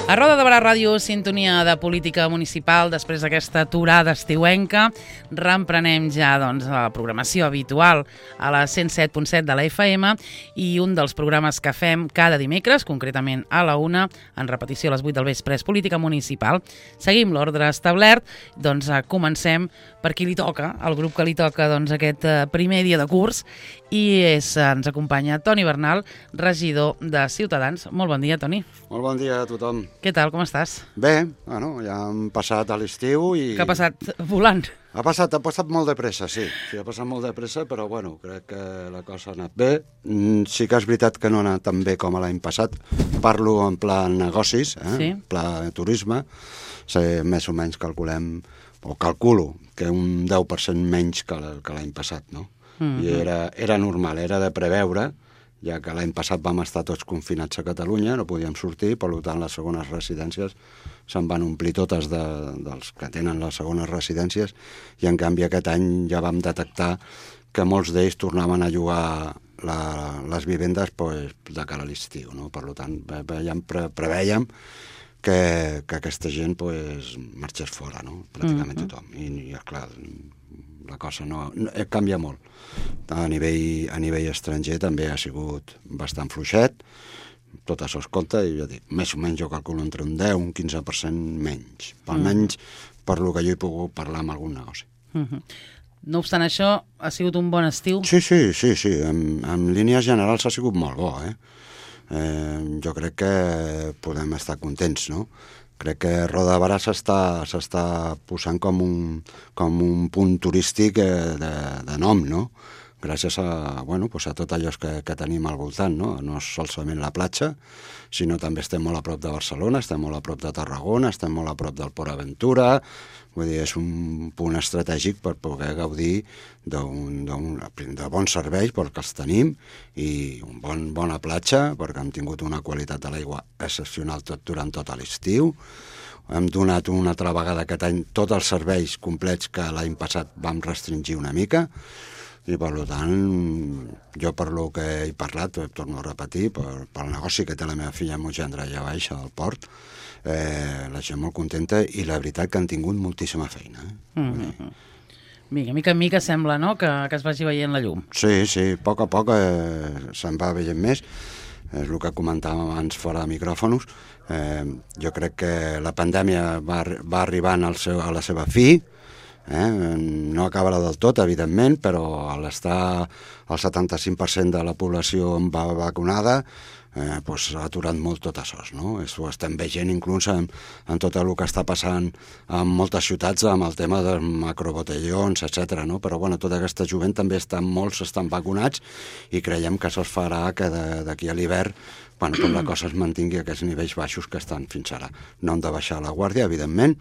A Roda de Barà Ràdio, sintonia de política municipal. Després d'aquesta aturada estiuenca, reemprenem ja la programació habitual a la 107.7 de la FM i un dels programes que fem cada dimecres, concretament a la 1, en repetició a les 8 del vespre, és política municipal. Seguim l'ordre establert, comencem per qui li toca, el grup que li toca aquest primer dia de curs, i ens acompanya Toni Bernal, regidor de Ciutadans. Molt bon dia, Toni. Molt bon dia a tothom. Què tal, com estàs? Bé, ja hem passat a l'estiu i... Que ha passat volant? Ha passat molt de pressa, sí. Sí, ha passat molt de pressa, però crec que la cosa ha anat bé. Sí que és veritat que no ha anat tan bé com l'any passat. Parlo en pla negocis, Sí. pla turisme. Més o menys calculo que un 10% menys que l'any passat, no? I era normal, era de preveure, ja que l'any passat vam estar tots confinats a Catalunya, no podíem sortir, per tant les segones residències se'n van omplir totes dels que tenen les segones residències, i en canvi aquest any ja vam detectar que molts d'ells tornaven a llogar les vivendes de cara a l'estiu, no? Per tant, prevèiem que aquesta gent marxés fora, no? Pràcticament tothom. I clar, la cosa no canvia molt. A nivell estranger també ha sigut bastant fluixet, tot això es compta, i ja dic, més o menys jo calculo entre un 10 i un 15% menys, almenys per lo que jo he pogut parlar amb algun negoci. No obstant això, ha sigut un bon estiu? Sí. En línies generals ha sigut molt bo, jo crec que podem estar contents, no? Crec que Roda de Barà s'està posant com un punt turístic de nom, no? Gràcies a tot allò que tenim al voltant, no? No és solament la platja, sinó també estem molt a prop de Barcelona, estem molt a prop de Tarragona, estem molt a prop del Port Aventura. Vull dir, és un punt estratègic per poder gaudir de bons serveis perquè els tenim, i bona platja perquè hem tingut una qualitat de l'aigua excepcional durant tot l'estiu. Hem donat una altra vegada aquest any tots els serveis complets que l'any passat vam restringir una mica, i per tant, jo per lo que he parlat, torno a repetir, pel negoci que té la meva filla amb un gendre allà baix al port, la gent molt contenta, i la veritat que han tingut moltíssima feina. Mica en mica sembla, no?, que es vagi veient la llum. Sí, a poc se'n va veient més. És el que comentàvem abans fora de micròfons. Jo crec que la pandèmia va arribant a la seva fi. No acabarà del tot, evidentment, però al estar el 75% de la població vacunada, s'ha aturat molt tot això, no? Ho estem veient inclús en tot el que està passant en moltes ciutats amb el tema dels macrobotellons, etc. No? Però tota aquesta jovent també molts estan vacunats, i creiem que això es farà que d'aquí a l'hivern la cosa es mantingui a aquests nivells baixos que estan fins ara. No hem de baixar la guàrdia, evidentment,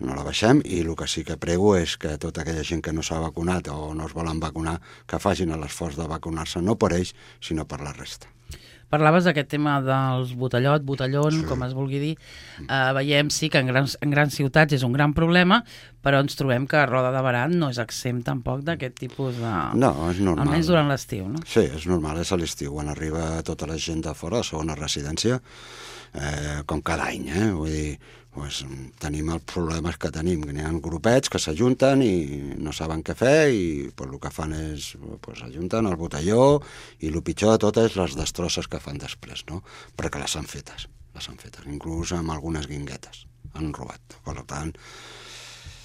no la baixem, i el que sí que prego és que tota aquella gent que no s'ha vacunat o no es volen vacunar, que facin l'esforç de vacunar-se, no per ells, sinó per la resta. Parlaves d'aquest tema dels botellón, com es vulgui dir. Veiem, sí, que en grans ciutats és un gran problema, però ens trobem que Roda de Barà no és exempt tampoc d'aquest tipus de... No, és normal. Almenys durant l'estiu, no? Sí, és normal, és a l'estiu, quan arriba tota la gent de fora, a segona residència, com cada any, vull dir, tenim els problemes que tenim, que n'hi ha grupets que s'ajunten i no saben què fer, i el que fan és s'ajunten al botelló, i el pitjor de tot és les destrosses que fan després, no? Perquè les han fetes, inclús amb algunes guinguetes han robat. Per tant,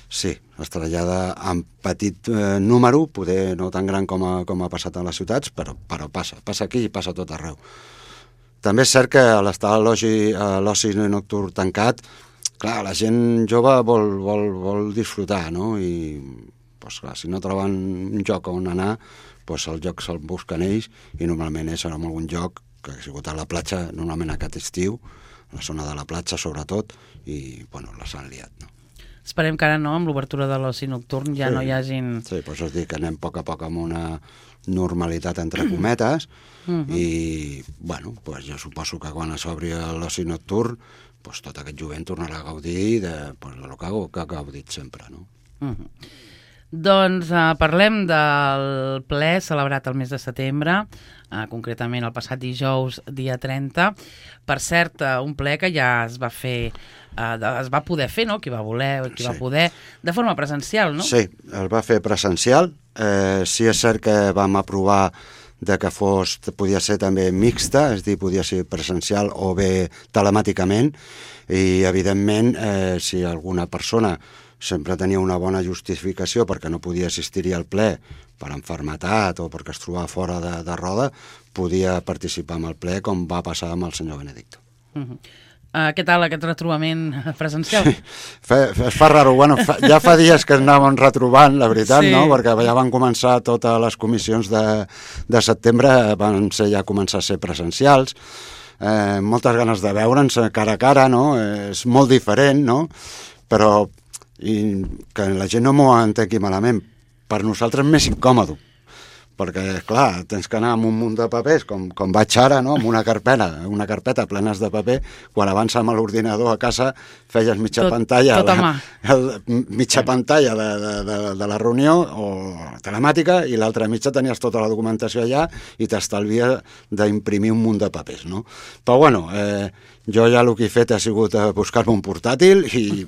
sí, es trasllada en petit número, poder no tan gran com ha passat a les ciutats, però passa aquí i passa a tot arreu. També és cert que a l'estar a l'oci nocturn tancat, clar, la gent jove vol disfrutar, no? I, clar, si no troben un lloc on anar, el lloc se'l busquen ells, i normalment és en algun lloc que ha sigut a la platja, normalment aquest estiu, la zona de la platja sobretot, i, les han liat, no? Esperem que ara no, amb l'obertura de l'oci nocturn ja no hi hagin... Sí, us dic que anem a poc amb una normalitat entre cometes, i, jo suposo que quan s'obri l'oci nocturn, tot aquest jovent tornarà a gaudir del que ha gaudit sempre, no? Doncs parlem del ple celebrat el mes de setembre, concretament el passat dijous, dia 30. Per cert, un ple que ja es va fer, es va poder fer, no? Qui va voler, qui va poder, de forma presencial, no? Sí, el va fer presencial. Sí és cert que vam aprovar de que podia ser també mixta, és a dir, podia ser presencial o bé telemàticament, i evidentment si alguna persona sempre tenia una bona justificació perquè no podia assistir-hi al ple per enfermetat o perquè es trobava fora de Roda, podia participar en el ple, com va passar amb el senyor Benedicto. Què tal aquest retrobament presencial? Es fa raro. Bueno, ja fa dies que anàvem retrobant, la veritat, sí. No? Perquè ja van començar totes les comissions de setembre, van començar a ser presencials. Moltes ganes de veure'ns cara a cara, no? És molt diferent, no? Però que la gent no m'ho entengui malament. Per nosaltres és més incòmode, perquè, clar, tens que anar amb un munt de papers, com vaig ara, no? Amb una carpeta plenes de paper. Quan abans amb l'ordinador a casa feies mitja pantalla de la reunió o telemàtica, i l'altra mitja tenies tota la documentació allà i t'estalvia d'imprimir un munt de papers, no? Però, bueno, jo ja el que he fet ha sigut buscar-me un portàtil i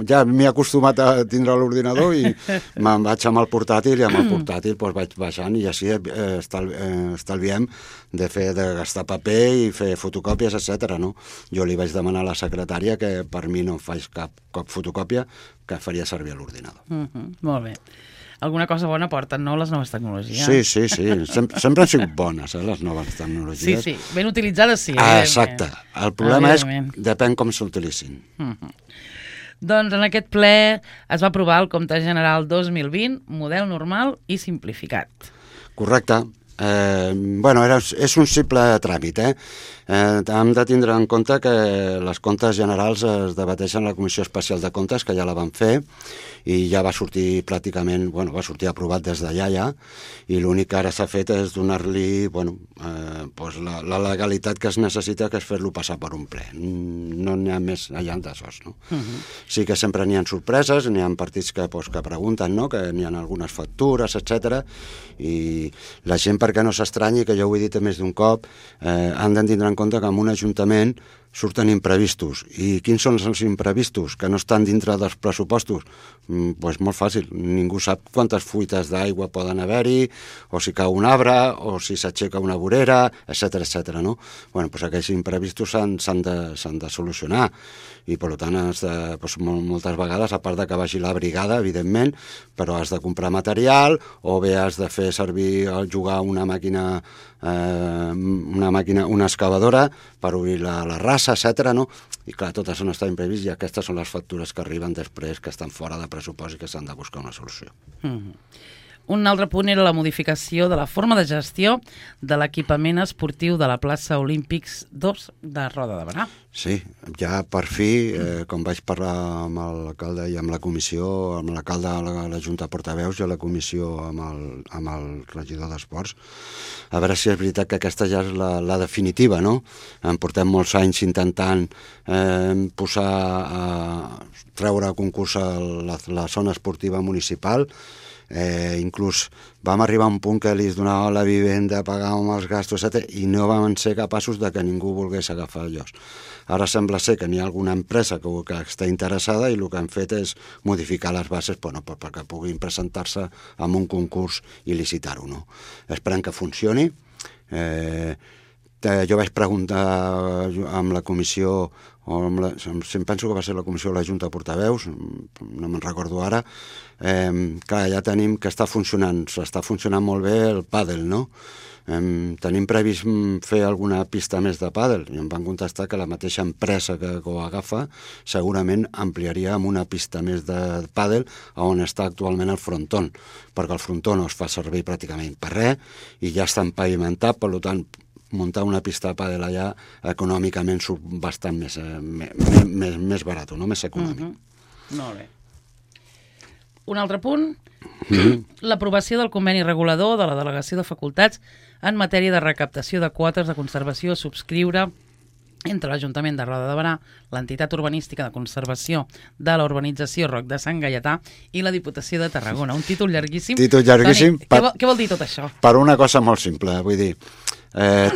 ja m'he acostumat a tindre l'ordinador i me'n vaig amb el portàtil, i amb el portàtil vaig baixant, i així estalviem de gastar paper i fer fotocòpies, etc. No? Jo li vaig demanar a la secretària que per mi no em faig cap fotocòpia, que faria servir a l'ordinador. Molt bé. Alguna cosa bona porten, no, les noves tecnologies? Sí. Sempre han sigut bones, les noves tecnologies. Sí. Ben utilitzades, sí. Exacte. El problema és depèn com s'utilitzin. Doncs en aquest ple es va aprovar el Compte General 2020, model normal i simplificat. Correcte. És un simple tràmit. Hem de tindre en compte que les comptes generals es debateixen a la Comissió Especial de Comptes, que ja la van fer, i ja va sortir pràcticament, va sortir aprovat des d'allà ja, i l'únic que ara s'ha fet és donar-li la legalitat que es necessita, que és fer-lo passar per un ple. No n'hi ha més allà d'aixòs, no? Sí que sempre n'hi ha sorpreses, n'hi ha partits que pregunten, no? Que n'hi ha algunes factures, etc. I la gent, perquè no s'estranyi, que jo ho he dit més d'un cop, han de tindre en compte que en un ajuntament surten imprevistos. I quins són els imprevistos? Que no estan dintre dels pressupostos? Doncs molt fàcil. Ningú sap quantes fuites d'aigua poden haver-hi, o si cau un arbre, o si s'aixeca una vorera, etc. No? Doncs aquells imprevistos s'han de solucionar. I, per tant, moltes vegades, a part de que vagi la brigada, evidentment, però has de comprar material, o bé has de fer servir, jugar una màquina, una excavadora per obrir la rasa, etc. No? I clar, tot això no està imprevist, i aquestes són les factures que arriben després, que estan fora de pressupost i que s'han de buscar una solució. Un altre punt era la modificació de la forma de gestió de l'equipament esportiu de la plaça Olímpics 2 de Roda de Berà. Sí, ja per fi, com vaig parlar amb l'alcalde i amb la comissió, amb l'alcalde a la Junta de Portaveus i a la comissió amb el regidor d'Esports, a veure si és veritat que aquesta ja és la definitiva, no? En portem molts anys intentant treure a concurs a la zona esportiva municipal. Inclús vam arribar a un punt que li donava la vivenda, pagàvem els gastos, etc., i no vam ser capaços de que ningú volgués agafar llocs. Ara sembla ser que n'hi ha alguna empresa que està interessada, i el que han fet és modificar les bases perquè puguin presentar-se en un concurs i licitar-ho. No? Esperem que funcioni. Jo vaig preguntar amb la comissió, penso que va ser la comissió de la Junta de Portaveus, no me'n recordo ara, clar, ja tenim que està funcionant molt bé el pàdel, no? Tenim previst fer alguna pista més de pàdel, i em van contestar que la mateixa empresa que ho agafa segurament ampliaria amb una pista més de pàdel on està actualment el frontón, perquè el frontón no es fa servir pràcticament per res i ja està empavimentat, per tant muntar una pista de pàdel allà econòmicament surt bastant més barat, no? Més econòmic. Molt bé. Un altre punt, l'aprovació del conveni regulador de la Delegació de Facultats en matèria de recaptació de quotes de conservació a subscriure entre l'Ajuntament de Roda de Berà, l'entitat urbanística de conservació de la urbanització Roc de Sant Gaietà i la Diputació de Tarragona. Un títol llarguíssim. Títol llarguíssim. Toni, què vol dir tot això? Per una cosa molt simple, vull dir,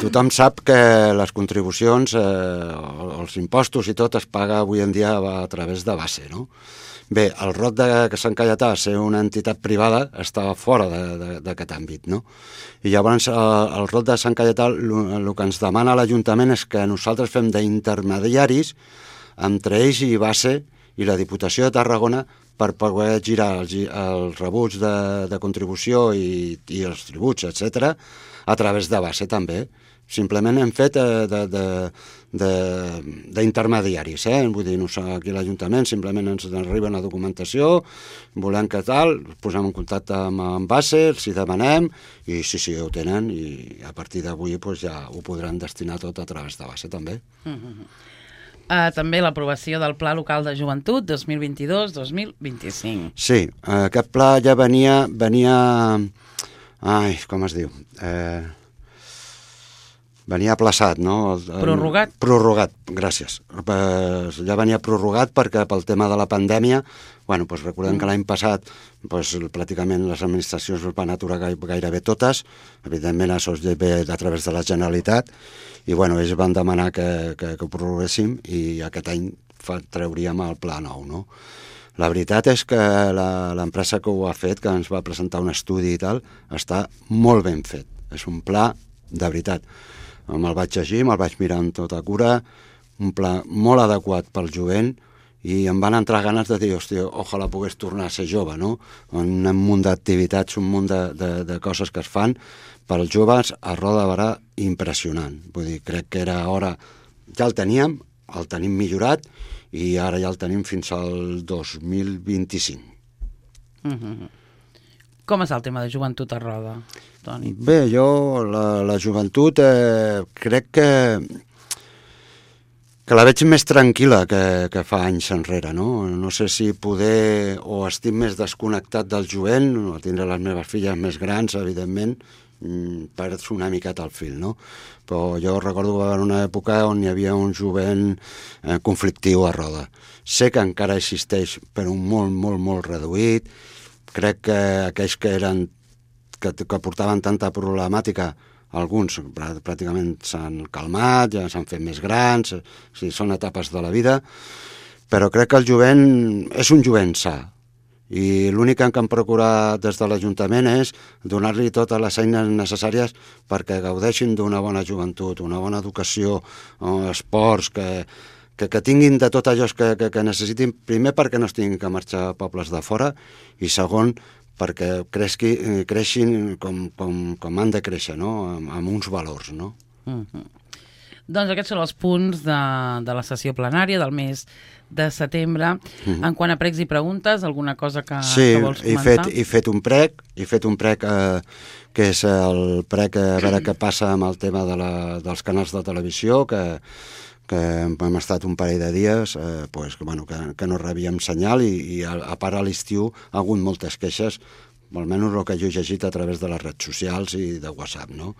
tothom sap que les contribucions, els impostos i tot es paga avui en dia a través de base, no? Bé, el Roc de Sant Gaietà, ser una entitat privada, estava fora d'aquest àmbit, no? I llavors el Roc de Sant Gaietà el que ens demana l'Ajuntament és que nosaltres fem d'intermediaris entre ells i base i la Diputació de Tarragona per poder girar els rebuts de contribució i els tributs, etc., a través de base també. Simplement hem fet d'intermediaris, vull dir, aquí a l'Ajuntament simplement ens arriba la documentació, volem que tal, posem en contacte amb base, els hi demanem, i sí, ho tenen, i a partir d'avui ja ho podran destinar tot a través de base també. També l'aprovació del Pla Local de Joventut 2022-2025. Sí, aquest pla ja venia... Ai, com es diu? Venia aplaçat, no? Prorrogat? Prorrogat, gràcies. Ja venia prorrogat perquè pel tema de la pandèmia, recordem que l'any passat pràcticament les administracions es van aturar gairebé totes, evidentment això es ve a través de la Generalitat, i ells van demanar que ho prorroguéssim i aquest any trauríem el pla nou, no? La veritat és que l'empresa que ho ha fet, que ens va presentar un estudi i tal, està molt ben fet. És un pla de veritat. Me'l vaig llegir, me'l vaig mirar amb tota cura, un pla molt adequat pel jovent, i em van entrar ganes de dir, hòstia, ojalà pogués tornar a ser jove, no? Un munt d'activitats, un munt de coses que es fan pels joves a Roda de Berà impressionant. Vull dir, crec que era hora... Ja el tenim millorat, i ara ja el tenim fins al 2025. Com és el tema de joventut a Roda, Toni? Bé, jo la joventut crec que la veig més tranquil·la que fa anys enrere, no? No sé si poder o estic més desconnectat del jovent, o tindré les meves filles més grans, evidentment, perds una miqueta el fil, no? Però jo recordo que va haver una època on hi havia un jovent conflictiu a Roda. Sé que encara existeix, però molt, molt, molt reduït. Crec que aquells que portaven tanta problemàtica, alguns pràcticament s'han calmat, ja s'han fet més grans, són etapes de la vida, però crec que el jovent és un jovent sa, i l'únic que hem procurat des de l'Ajuntament és donar-li totes les eines necessàries perquè gaudeixin d'una bona joventut, una bona educació, esports, que tinguin de tot allò que necessitin, primer perquè no es tinguin que marxar a pobles de fora, i segon perquè creixin com han de créixer, no? Amb uns valors, no? Doncs aquests són els punts de la sessió plenària del mes de setembre. En quant a pregs i preguntes, alguna cosa que vols comentar? Sí, he fet un prec, que és el prec a veure què passa amb el tema dels canals de televisió, que hem estat un parell de dies que no rebíem senyal, i a part a l'estiu ha hagut moltes queixes, almenys el que jo he llegit a través de les redes socials i de WhatsApp, no?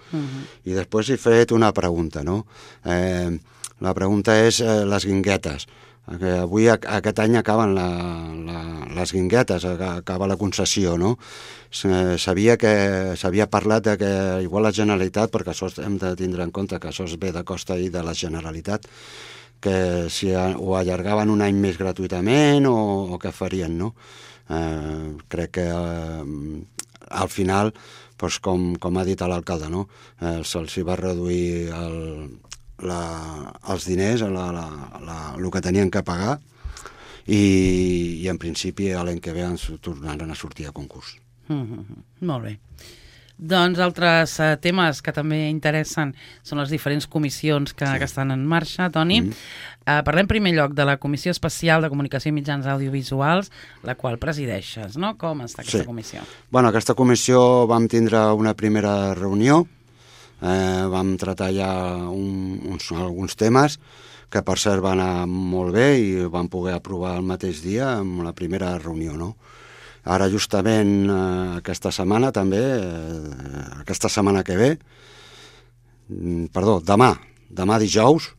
I després he fet una pregunta, no? La pregunta és les guinguetes. Avui, aquest any, acaben les guinguetes, acaba la concessió, no? S'havia parlat de que igual la Generalitat, perquè això hem de tindre en compte que això es ve de costa i de la Generalitat, que si ho allargaven un any més gratuïtament o què farien, no? Crec que al final, com ha dit l'alcalde, no? Se'ls va reduir els diners, el que tenien que pagar, i en principi l'any que ve ens tornaran a sortir a concurs. Molt bé. Doncs altres temes que també interessen són les diferents comissions que estan en marxa, Toni. Parlem en primer lloc de la Comissió Especial de Comunicació i Mitjans Audiovisuals, la qual presideixes, no? Com està aquesta comissió? Bueno, aquesta comissió vam tindre una primera reunió, vam tratar ja alguns temes que per cert van anar molt bé i vam poder aprovar el mateix dia amb la primera reunió, no? Ara justament aquesta setmana també, aquesta setmana que ve, demà dijous,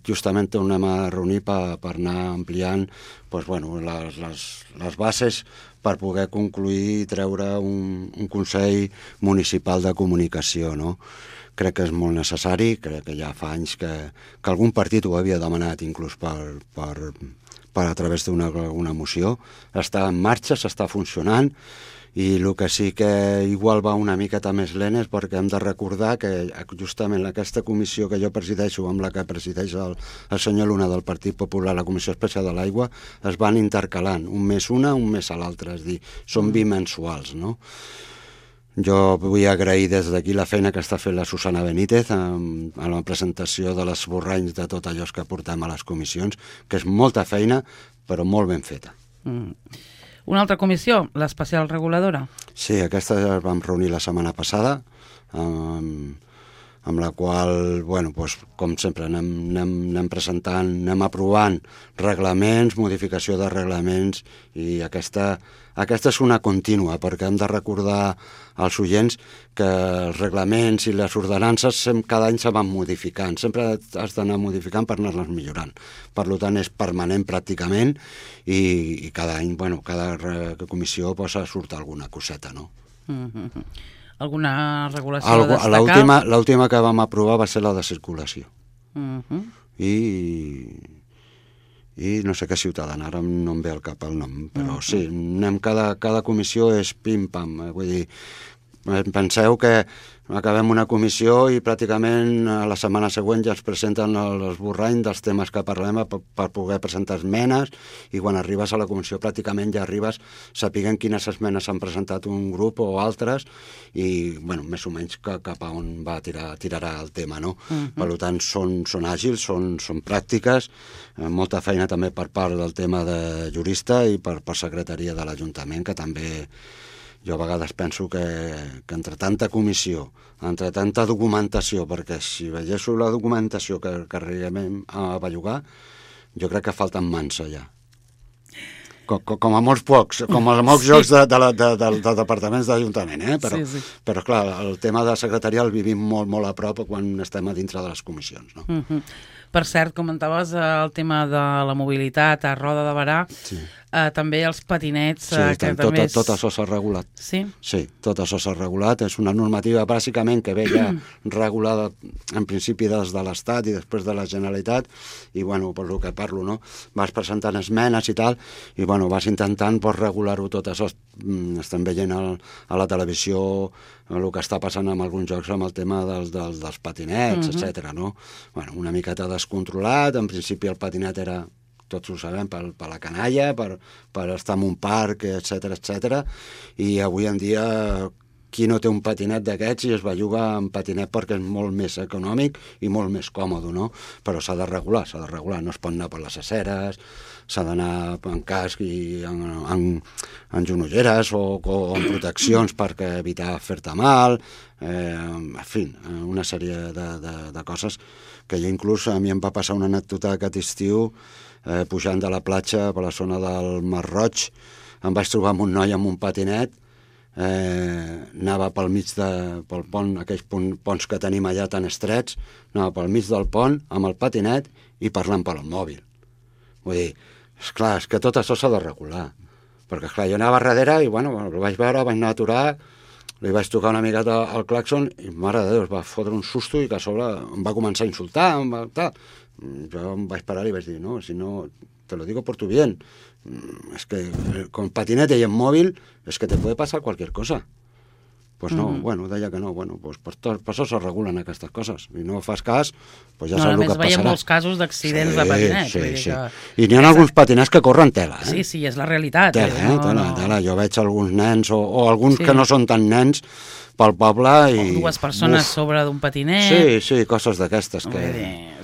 justament tornem a reunir per anar ampliant les bases per poder concluir i treure un Consell Municipal de Comunicació, no? Crec que és molt necessari, crec que ja fa anys que algun partit ho havia demanat inclús per a través d'una moció. Està en marxa, s'està funcionant, i el que sí que igual va una miqueta més lent és perquè hem de recordar que justament aquesta comissió que jo presideixo, amb la que presideix el senyor Luna del Partit Popular, la Comissió Especial de l'Aigua, es van intercalant, un mes una, un mes a l'altre, és a dir, són bimensuals, no? Jo vull agrair des d'aquí la feina que està fent la Susana Benítez a la presentació de l'esborranys de tot allò que portem a les comissions, que és molta feina, però molt ben feta. Una altra comissió, l'especial reguladora. Sí, aquesta ja vam reunir la setmana passada, amb la qual, com sempre, anem presentant, anem aprovant reglaments, modificació de reglaments, i aquesta és una contínua, perquè hem de recordar als oients que els reglaments i les ordenances cada any se van modificant, sempre has d'anar modificant per anar-les millorant. Per tant, és permanent pràcticament, i cada any, cada comissió surt alguna coseta, no? Alguna regulació a destacar? L'última que vam aprovar va ser la de circulació. I no sé què ciutadana, ara no em ve al cap el nom, però sí, cada comissió és pim-pam, vull dir, penseu que acabem una comissió i pràcticament a la setmana següent ja es presenten l'esborrany dels temes que parlem per poder presentar esmenes, i quan arribes a la comissió pràcticament ja arribes sapiguent quines esmenes s'han presentat un grup o altres, i més o menys cap a on tirarà el tema, no? Per tant, són àgils, són pràctiques, molta feina també per part del tema de jurista i per secretaria de l'Ajuntament, que també jo a vegades penso que entre tanta comissió, entre tanta documentació, perquè si veiéssiu la documentació que arribem a bellugar, jo crec que falten mans allà. Com a molts pocs, com a molts jocs dels departaments d'Ajuntament, però clar, el tema de secretaria el vivim molt, molt a prop quan estem a dintre de les comissions, no? Per cert, comentaves el tema de la mobilitat a Roda de Berà, també els patinets... Sí, tot això s'ha regulat. Sí? Sí, tot això s'ha regulat. És una normativa bàsicament que ve ja regulada en principi des de l'Estat i després de la Generalitat, i per el que parlo, no? Vas presentant esmenes i tal, i vas intentant regular-ho tot això. Estem veient a la televisió el que està passant amb alguns jocs amb el tema dels patinets, etc. No? Una miqueta descontrolat. En principi el patinet era, tots ho sabem, per la canalla, per estar en un parc, etc. I avui en dia qui no té un patinet d'aquests i es belluga en patinet perquè és molt més econòmic i molt més còmode, no? Però s'ha de regular, no es pot anar per les aceres, s'ha d'anar en casc i en genolleres o en proteccions per evitar fer-te mal, en fi, una sèrie de coses que jo inclús a mi em va passar una anècdota aquest estiu, pujant de la platja per la zona del Mar Roig, em vaig trobar amb un noi amb un patinet, anava pel mig pel pont, aquells ponts que tenim allà tan estrets, anava pel mig del pont amb el patinet i parlant pel mòbil. Vull dir, esclar, és que tot això s'ha de regular, perquè esclar, jo anava darrere i el vaig veure, vaig anar a aturar, li vaig tocar una miqueta al clàxon i mare de Déu, es va fotre un susto i que a sobre em va començar a insultar, jo em vaig parar i vaig dir, no, si no, te lo digo por tu bien, es que con patinete y en móvil es que te puede pasar cualquier cosa. Pues no, deia que no, pues per això se regulen aquestes coses, i no fas cas, pues ja saps el que passarà. A més, veiem molts casos d'accidents de patinet. Sí. I n'hi ha alguns patinets que corren tela, Sí, és la realitat. Tela. Jo veig alguns nens, o alguns que no són tan nens, pel poble i... O dues persones sobre d'un patinet. Sí, coses d'aquestes que...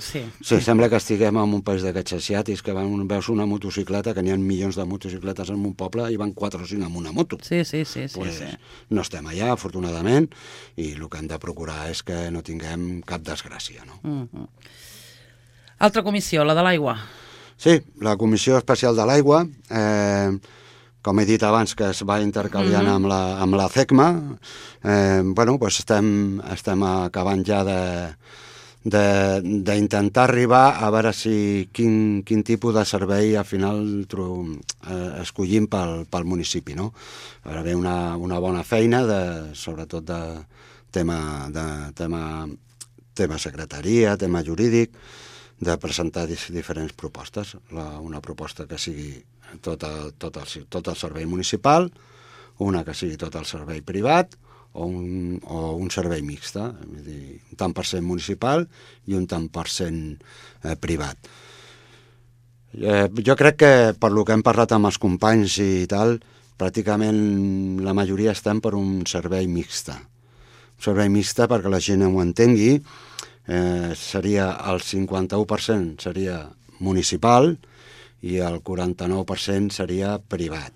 Sí, sembla que estiguem en un país d'aquests asiàtics que veus una motocicleta, que n'hi ha milions de motocicletes en un poble i van 4 o 5 amb una moto. Sí. No estem allà, afortunadament, i el que hem de procurar és que no tinguem cap desgràcia, no? Altra comissió, la de l'aigua. Sí, la Comissió Especial de l'Aigua, com he dit abans, que es va intercaliant amb la CECMA, estem acabant ja d'intentar arribar a veure quin tipus de servei al final escollim pel municipi, no? A veure, una bona feina, sobretot de tema secretaria, tema jurídic, de presentar diferents propostes. Una proposta que sigui tot el servei municipal, una que sigui tot el servei privat, o un servei mixta, és dir, un tant per cent municipal i un tant per cent privat. Jo crec que, per lo que hem parlat amb els companys i tal, pràcticament la majoria estem per un servei mixta. Un servei mixta, perquè la gent ho entengui, seria el 51% seria municipal i el 49% seria privat.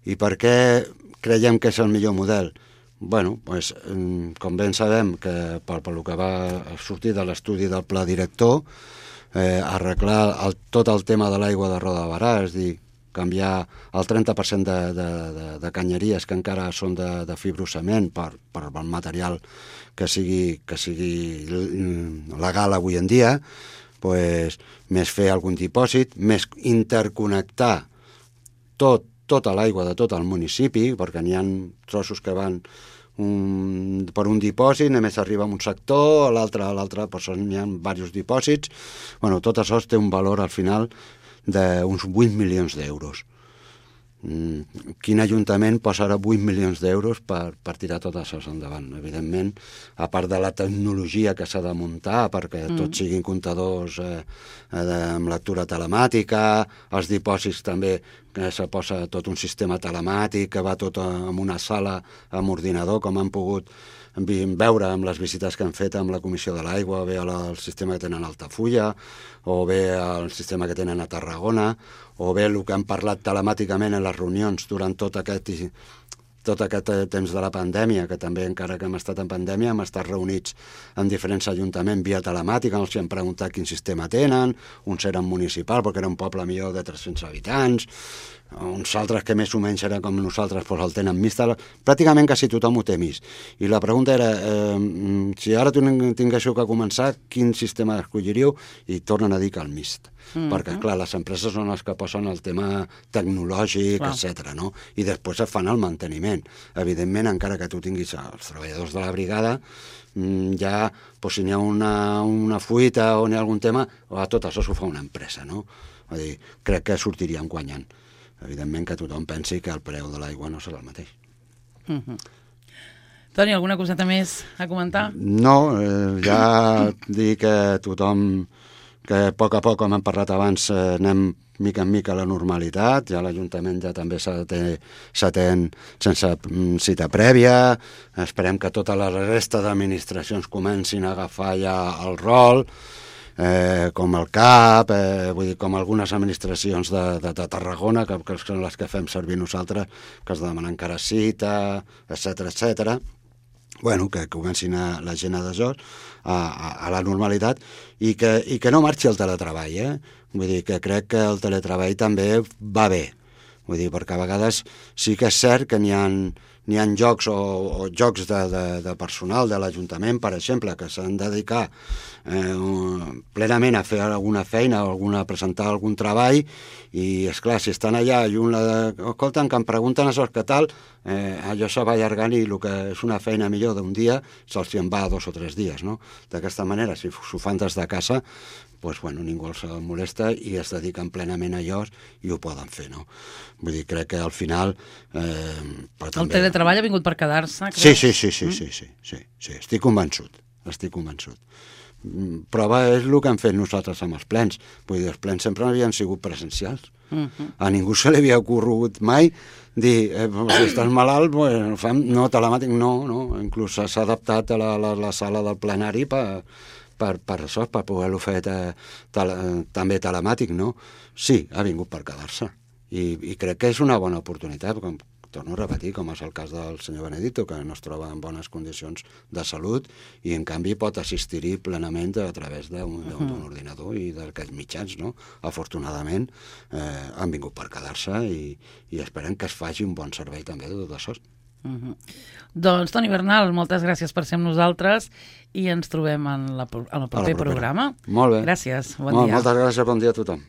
I per què creiem que és el millor model? Bueno, pues, com ben sabem que per lo que va sortir de l'estudi del pla director, arreglar tot el tema de l'aigua de Roda de Berà, és dir, canviar el 30% de canyeries que encara són de fibrocement per el material que sigui legal avui en dia, pues, més fer algun dipòsit, més interconnectar tota l'aigua de tot el municipi, perquè n'hi ha trossos que van per un dipòsit, només arriba a un sector, a l'altre, però n'hi ha diversos dipòsits. Bueno, tot això té un valor al final d'uns 8 milions d'euros. Quin ajuntament posarà 8 milions d'euros per tirar tot això endavant? Evidentment, a part de la tecnologia que s'ha de muntar perquè tots siguin comptadors amb lectura telemàtica, els dipòsits també, que se posa tot un sistema telemàtic que va tot en una sala amb ordinador, com han pogut veure amb les visites que han fet amb la Comissió de l'Aigua, bé el sistema que tenen a Altafulla, o bé el sistema que tenen a Tarragona, o bé el que han parlat telemàticament en les reunions durant tot aquest temps de la pandèmia, que també encara que hem estat en pandèmia hem estat reunits en diferents ajuntaments via telemàtica, els hem preguntat quin sistema tenen, uns eren municipal perquè era un poble millor de 300 habitants, uns altres que més o menys eren com nosaltres doncs el tenen mist, pràcticament quasi tothom ho té mist. I la pregunta era, si ara tinguéssiu que començar, quin sistema escolliríeu? I tornen a dir que el mist. Perquè, clar, les empreses són les que posen el tema tecnològic, etc. No? I després es fan el manteniment. Evidentment, encara que tu tinguis els treballadors de la brigada, ja, si n'hi ha una fuita o n'hi ha algun tema, tot això s'ho fa una empresa, no? Vull dir, crec que sortiríem guanyant. Evidentment que tothom pensi que el preu de l'aigua no serà el mateix. Toni, alguna coseta més a comentar? No, ja dir que tothom, que a poc, com hem parlat abans, anem mica en mica a la normalitat, ja l'Ajuntament ja també s'atén sense cita prèvia, esperem que tota la resta d'administracions comencin a agafar ja el rol, com el CAP, vull dir, com algunes administracions de Tarragona, que són les que fem servir nosaltres, que has de demanar encara cita, etc. Bueno, que comencin la gent a desort, a la normalitat, i que no marxi el teletreball, Vull dir, que crec que el teletreball també va bé. Vull dir, perquè a vegades sí que és cert que n'hi ha jocs o jocs de personal de l'Ajuntament, per exemple, que s'han de dedicar plenament a fer alguna feina o a presentar algun treball, i, esclar, si estan allà i escolten, que em pregunten això, què tal, allò se va allargant i el que és una feina millor d'un dia se'ls en va 2 o 3 dies, no? D'aquesta manera, si s'ho fan des de casa, doncs, bueno, ningú els molesta i es dediquen plenament a allò i ho poden fer, no? Vull dir, crec que al final... El teletreball ha vingut per quedar-se, crec? Sí, estic convençut. Prova és el que hem fet nosaltres amb els plens. Vull dir, els plens sempre havien sigut presencials. A ningú se li havia ocorregut mai dir, si estàs malalt, no, telemàtic, no. Inclús s'ha adaptat a la sala del plenari per això, per poder-ho fer també telemàtic, no? Sí, ha vingut per quedar-se. I crec que és una bona oportunitat, com torno a repetir, com és el cas del senyor Benedito, que no es troba en bones condicions de salut i, en canvi, pot assistir-hi plenament a través d'un ordinador i d'aquests mitjans, no? Afortunadament, han vingut per quedar-se i esperem que es faci un bon servei també de tot això. Doncs, Toni Bernal, moltes gràcies per ser amb nosaltres i ens trobem en el proper programa. Molt bé. Gràcies, bon dia. Moltes gràcies, bon dia a tothom.